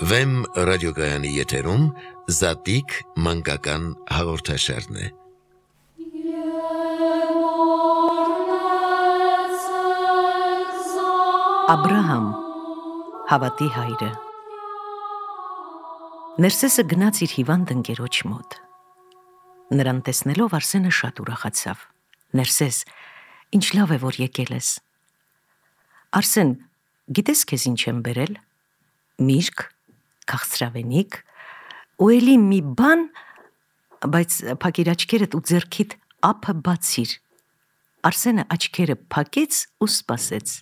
Վեմ ռադիոգայանի եթերում Զատիկ մանկական հաղորդաշարն է։ Աբրահամ, հավատի հայրը։ Ներսեսը գնաց իր հիվանդ ընկերոջ մոտ։ Նրան տեսնելով Արսենը շատ ուրախացավ։ Ներսես, ինչ լավ է, որ եկել ես։ Արսեն, գիտես քեզ ինչ եմ բերել։ Միրգ, քաղցրավենիք, ու էլի մի բան, բայց փակիր աչքերդ ու ձեռքիդ ափը բացիր։ Արսենը աչքերը փակեց ու սպասեց։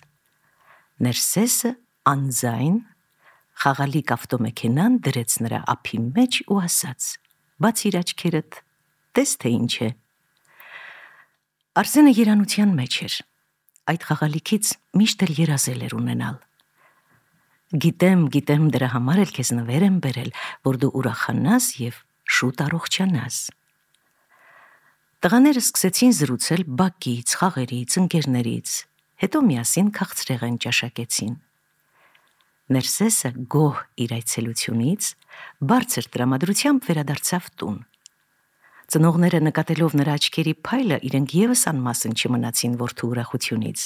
Ներսեսը անձայն խաղալիք ավտոմեքենան դրեց նրա ափի մեջ ու ասաց. բացիր աչքերդ, տես թե ինչ է։ Արսենը երանության մեջ էր։ Այդ խաղալիքից միշտ էլ երազել էր ունենալ։ Գիտեմ, դրա համար էլ քեզ նվեր եմ բերել, որ դու ուրախանաս և շուտ առողջանաս։ Տղաները սկսեցին զրուցել բակից, խաղերից, ընկերներից, հետո միասին քաղցրեղեն ճաշակեցին։ Ներսեսը գոհ իր այցելությունից բարձր տրամադրությամբ վերադարձավ տուն։ Ծնողները նկատելով նրա աչքերի փայլը, իրենք ևս անմասն չմնացին որդու ուրախությունից։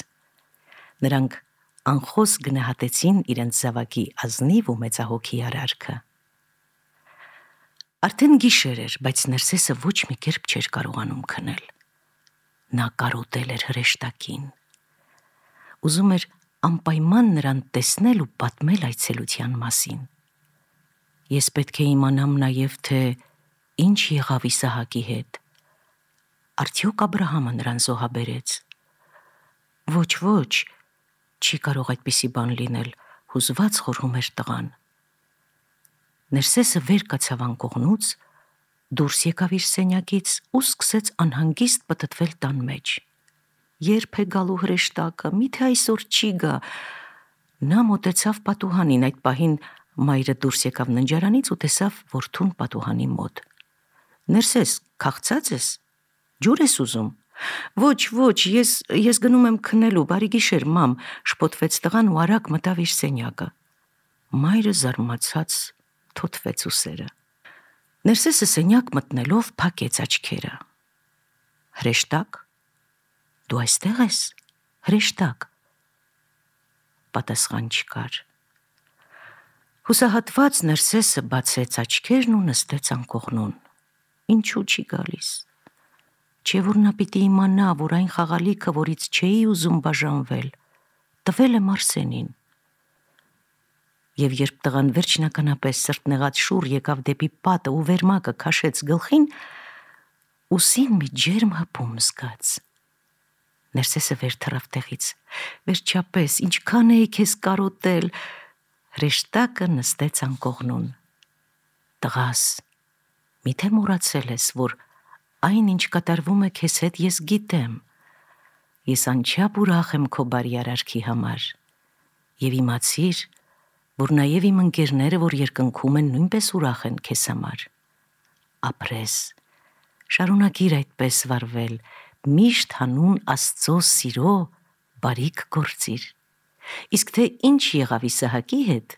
Նրանք անխոս գնահատեցին իրենց զավակի ազնիվ ու մեծահոգի արարքը։ Արդեն գիշեր էր, բայց Ներսեսը ոչ մի կերպ չէր կարողանում քնել։ Նա կարոտել էր հրեշտակին։ Ուզում էր անպայման նրան տեսնել ու պատմել այցելության մասին։ Ես պետք է իմանամ նաև, թե ինչ եղավ Իսահակի հետ։ Արդյոք Աբրահամը նրան զոհաբերեց։ Ոչ, չի կարող այդպիսի բան լինել, հուզված խորհում էր տղան։ Ներսեսը վեր կացավ անկողնուց, դուրս եկավ իր սենյակից ու սկսեց անհանգիստ պտտվել տան մեջ։ Երբ է գալու հրեշտակը, միթե այսօր չի գա։ Նա մոտեցավ պատուհանին, այդ պահին մայրը դուրս եկավ ննջարանից ու տեսավ որդուն պատուհանի մոտ։ Ներսես, քաղցած ես, ջուր ես ուզում։ Ոչ, ես գնում եմ քնելու, բարի գիշեր, մամ, շփոթվեց տղան ու արագ մտավ իր սենյակը։ Մայրը զարմացած թոթվեց ուսերը։ Ներսեսը սենյակ մտնելով փակեց աչքերը։ Հրեշտակ, դու այստեղ ես, հրեշտակ։ Պատասխան չկար։ Հուսահատված Ներսեսը բացեց աչքերն ու նստեց անկողնուն։ Ինչու չի գալիս։ Չէ որ նա պիտի իմանա, որ այն խաղալիքը, որից չէի ուզում բաժանվել, տվել եմ Արսենին։ Եվ երբ տղան վերջնականապես սրտնեղած շուռ եկավ դեպի պատը ու վերմակը քաշեց գլխին, ուսին մի ջերմ հպում զգաց։ Ներսեսը վեր թռավ տեղից։ Վերջապես, ինչքան էի քեզ կարոտել։ Հրեշտակը նստեց անկողնուն։ Տղաս, միթե մոռացել ես, որ այն, ինչ կատարվում է քեզ հետ, ես գիտեմ։ Ես անչափ ուրախ եմ քո բարի արարքի համար։ Եվ իմացիր, որ նաև իմ ընկերները, որ երկնքում են, նույնպես ուրախ են քեզ համար։ Ապրես, շարունակիր այդպես վարվել, միշտ հանուն Աստծո սիրո բարիք գործիր։ Իսկ թե ինչ եղավ Իսահակի հետ,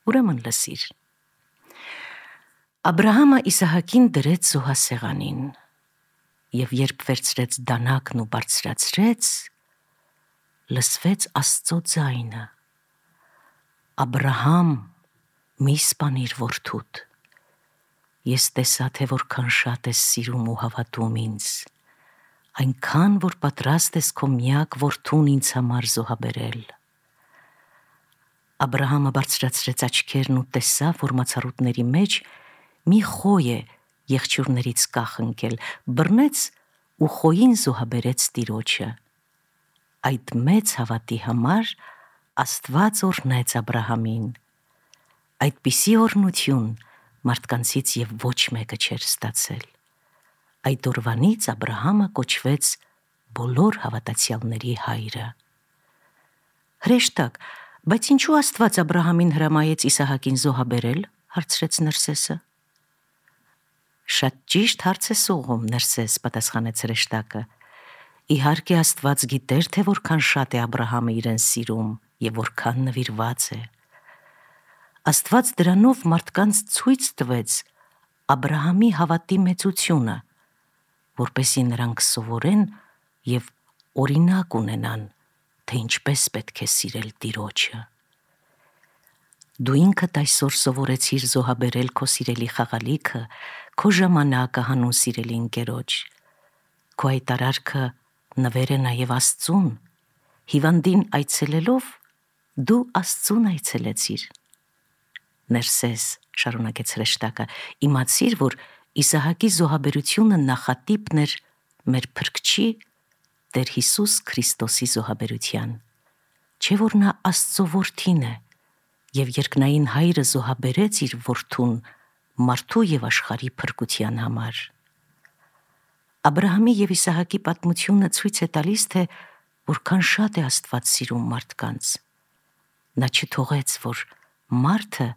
ուրեմն լսիր։ Աբրահամը Իսահակին դրեց զոհասեղանին, և երբ վերցրեց դանակն ու բարձրացրեց, լսվեց Աստծո ձայնը. Աբրահամ, մի սպանիր որդուդ։ Ես տեսա, թե որքան շատ ես սիրում ու հավատում ինձ, այնքան, որ պատրաստ ես քո միակ որդուն ինձ համար զոհաբերել։ Աբրահամը բարձրացրեց աչքերն ու տեսավ, որ մացառուտների մեջ մի խոյ է եղջյուրներից կախ ընկել, բռնեց ու խոյին զոհաբերեց տիրոջը։ Այդ մեծ հավատի համար Աստված օրհնեց Աբրահամին։ Այդպիսի օրհնություն մարդկանցից և ոչ մեկը չէր ստացել։ Այդ օրվանից Աբրահամը կոչվեց բոլոր հավատացյալների հայրը։ Հրեշտակ, բայց ինչու Աստված Աբրահամին հրամայեց Իսահակին զոհաբերել, հարցրեց Ներսեսը։ Շատ ճիշտ հարց ես ուղղում, Ներսես, պատասխանեց հրեշտակը։ Իհարկե Աստված գիտեր, թե որքան շատ է Աբրահամը իրեն սիրում և որքան նվիրված է։ Աստված դրանով մարդկանց ցույց տվեց Աբրահամի հավատի մեծությունը, որպեսզի նրանք սովորեն եւ օրինակ ունենան, թե ինչպես պետք է սիրել Տիրոջը։ Դու ինքդ այսօր սովորեցիր զոհաբերել քո սիրելի խաղալիքը, քո ժամանակը հանուն սիրելի ընկերոջ։ Քո այդ արարքը նվեր է նաև Աստծուն։ Հիվանդին այցելելով դու Աստծուն այցելեցիր։ Ներսես, շարունակեց հրեշտակը, իմացիր, որ Իսահակի զոհաբերությունը նախատիպն էր մեր Փրկչի Տեր Հիսուս Քրիստոսի զոհաբերության։ Չէ՞ որ նա Աստծո որդին է, եւ երկնային Հայրը զոհաբերեց իր որդուն մարդու եւ աշխարհի փրկության համար։ Աբրահամի եւ Իսահակի պատմությունը ցույց է տալիս, թե որքան շատ է Աստված սիրում մարդկանց։ Նա չթողեց, որ մարդը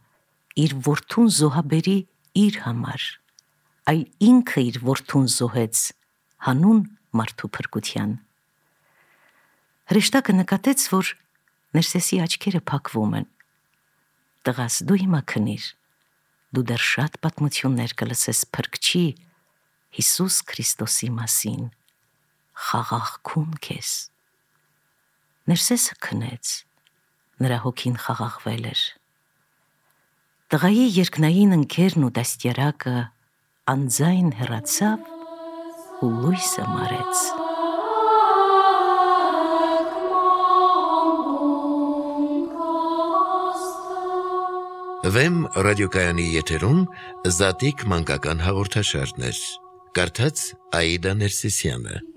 իր որդուն զոհաբերի իր համար, այլ ինքը իր որդուն զոհեց հանուն մարդու փրկության։ Հրեշտակը նկատեց, որ Ներսեսի աչքերը փակվում են։ Տղաս, դու հիմա քնիր, դու դեռ շատ պատմություններ կլսես Փրկչի Հիսուս Քրիստոսի մասին, խաղաղքուն քեզ։ Ներսեսը քնեց, նրա հոգին խաղաղվել էր։ Տղայի երկնային ընկերն ու դաստիարակը անձայն հեռացավ ու լույսը մարեց։ Վեմ ռադիոկայանի եթերում Զատիկ մանկական հաղորդաշարներ։ Կարդաց Աիդա Ներսիսյանը։